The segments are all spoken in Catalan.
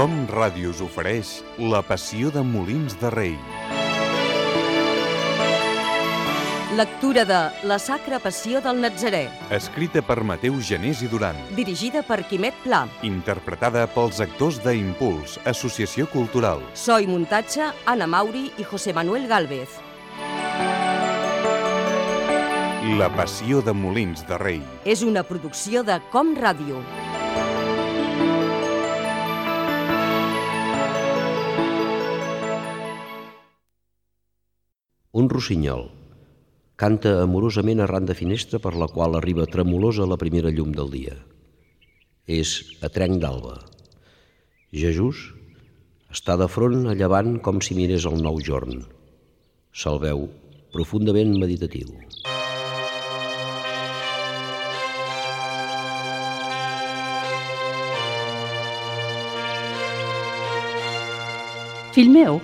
Com Ràdio us ofereix La Passió de Molins de Rei. Lectura de La Sacra Passió del Natzarè. Escrita per Mateu Genés i Duran. Dirigida per Quimet Pla. Interpretada pels actors d'Impuls, Associació Cultural. So i muntatge, Anna Mauri i José Manuel Gálvez. La Passió de Molins de Rei. És una producció de Com Ràdio. Un rossinyol canta amorosament arran de finestra per la qual arriba tremolosa la primera llum del dia. És a trenc d'alba. Jesús està de front a llevant com si mirés el nou jorn. Se'l veu profundament meditatiu. Fill meu,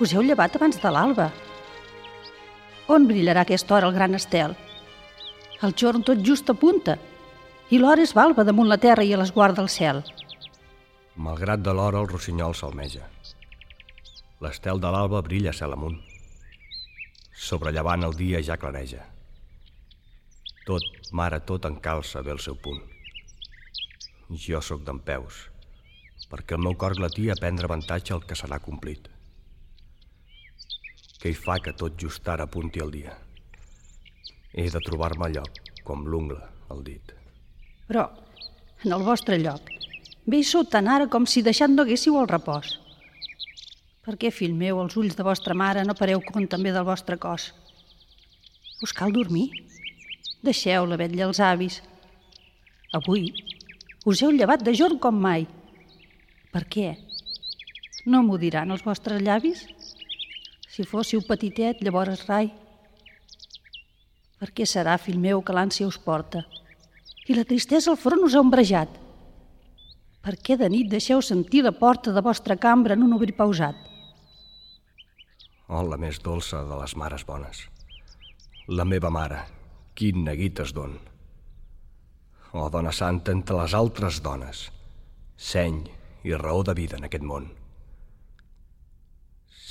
us heu llevat abans de l'alba. On brillarà a aquesta hora el gran estel? El jorn tot just apunta, i l'hora és balba damunt la terra i a l'esguard del cel. Malgrat de l'hora, el rossinyol s'almeja. L'estel de l'alba brilla cel amunt. Sobrellevant el dia ja clareja. Tot, mare, tot encalça bé el seu punt. Jo sóc dempeus, perquè el meu cor glatia a prendre avantatge al que serà complit. Què hi fa que tot just ara apunti el dia? He de trobar-me al lloc, com l'ungla al dit. Però, en el vostre lloc, bé hi sou tan ara com si deixat no haguéssiu el repòs. Per què, fill meu, els ulls de vostra mare no pareu compte també del vostre cos? Us cal dormir? Deixeu la vetlla als avis. Avui us heu llevat de jorn com mai. Per què? No m'ho diran els vostres llavis? Si fóssiu petitet, llavors rai. Per què serà, fill meu, que l'ànsia us porta? I la tristesa al front us ha ombrejat? Per què de nit deixeu sentir la porta de vostra cambra en un obrir pausat? Oh, la més dolça de les mares bones. La meva mare, quin neguit es don. Oh, dona santa entre les altres dones, seny i raó de vida en aquest món.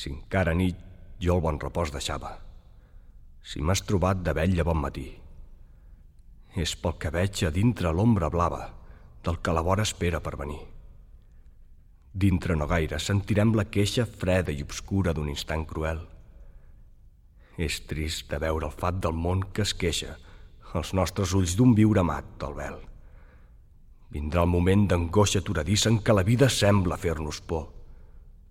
Si encara nit jo el bon repòs deixava, si m'has trobat de vetlla bon matí, és pel que veig a dintre l'ombra blava del que la vora espera per venir. Dintre no gaire sentirem la queixa freda i obscura d'un instant cruel. És trist de veure el fat del món que es queixa als nostres ulls d'un viure mat del vel. Vindrà el moment d'angoixa aturadissa en què la vida sembla fer-nos por,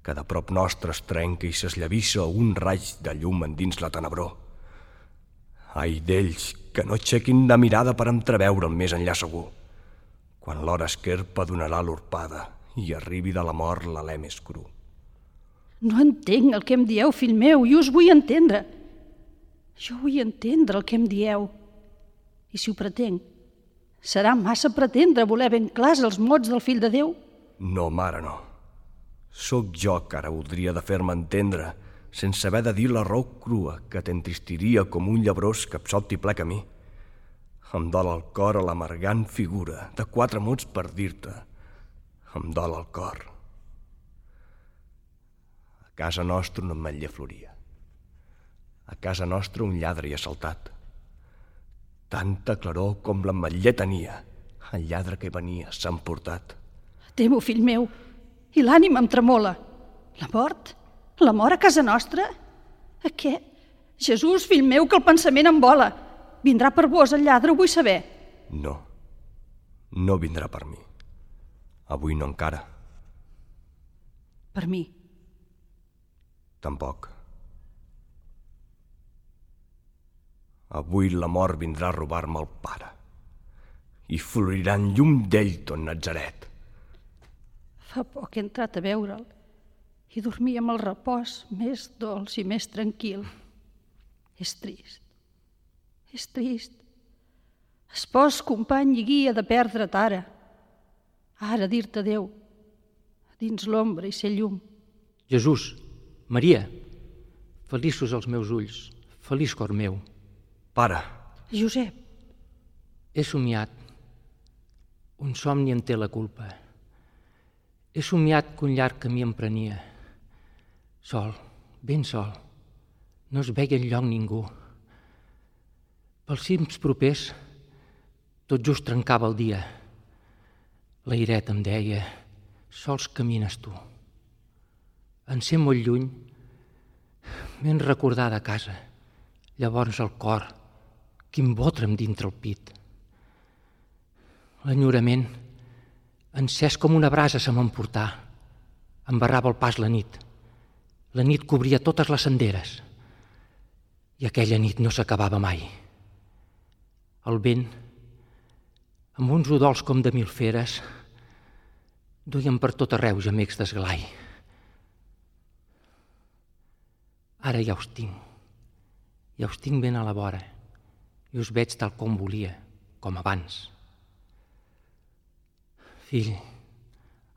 que de prop nostre es trenca i s'esllavissa un raig de llum endins la tenebror. Ai d'ells que no aixequin la mirada per entreveure el més enllà segur, quan l'hora esquerpa donarà l'orpada i arribi de la mort l'alè més cru. No entenc el que em dieu, fill meu, i us vull entendre. Jo vull entendre el que em dieu. I si ho pretenc, serà massa pretendre voler ben clars els mots del fill de Déu? No, mare, no. Sóc jo que ara voldria de fer-me entendre sense haver de dir la raó crua que t'entristiria com un llebrós que absolt i ple camí. Em dol el cor a l'amargant figura de 4 mots per dir-te. Em dol el cor. A casa nostra un ametller floria. A casa nostra un lladre hi ha saltat. Tanta claror com l'ametller tenia, el lladre que venia s'ha emportat. Temo, fill meu, i l'ànima em tremola. La mort? La mort a casa nostra? A què? Jesús, fill meu, que el pensament em vola. Vindrà per vos el lladre, ho vull saber. No, no vindrà per mi. Avui no encara. Per mi? Tampoc. Avui la mort vindrà a robar-me el pare i florirà en llum d'ell ton Natzaret. Fa poc he entrat a veure'l i dormir amb el repòs més dolç i més tranquil. És trist, és trist. Espòs, company i guia de perdre't ara. Ara dir-te adéu, dins l'ombra i ser llum. Jesús, Maria, feliços els meus ulls, feliç cor meu. Pare. Josep. He somiat. Un somni en té la culpa. He somiat que un llarg camí em prenia. Sol, ben sol, no es veia enlloc ningú. Pels cims propers, tot just trencava el dia. L'airet em deia, sols camines tu. En ser molt lluny, m'he recordada a casa. Llavors el cor, quin botrem dintre el pit. L'enyorament, encès com una brasa se m'emportà. Embarrava el pas la nit. La nit cobria totes les senderes. I aquella nit no s'acabava mai. El vent, amb uns udols com de mil feres, duien per tot arreu gemecs d'esglai. Ara ja us tinc ben a la vora, i us veig tal com volia, com abans. Fill,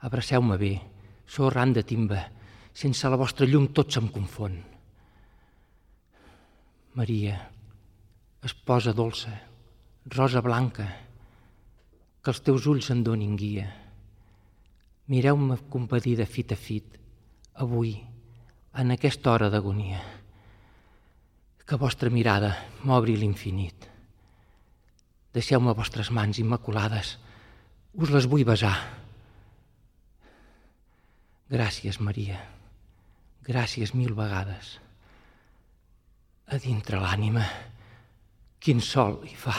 abraceu-me bé, sóc ran de timba, sense la vostra llum tot se'm confon. Maria, esposa dolça, rosa blanca, que els teus ulls en donin guia. Mireu-me compadida fit a fit, avui, en aquesta hora d'agonia. Que vostra mirada m'obri l'infinit. Deixeu-me vostres mans immaculades, us les vull besar. Gràcies, Maria, gràcies mil vegades. A dintre l'ànima, quin sol hi fa.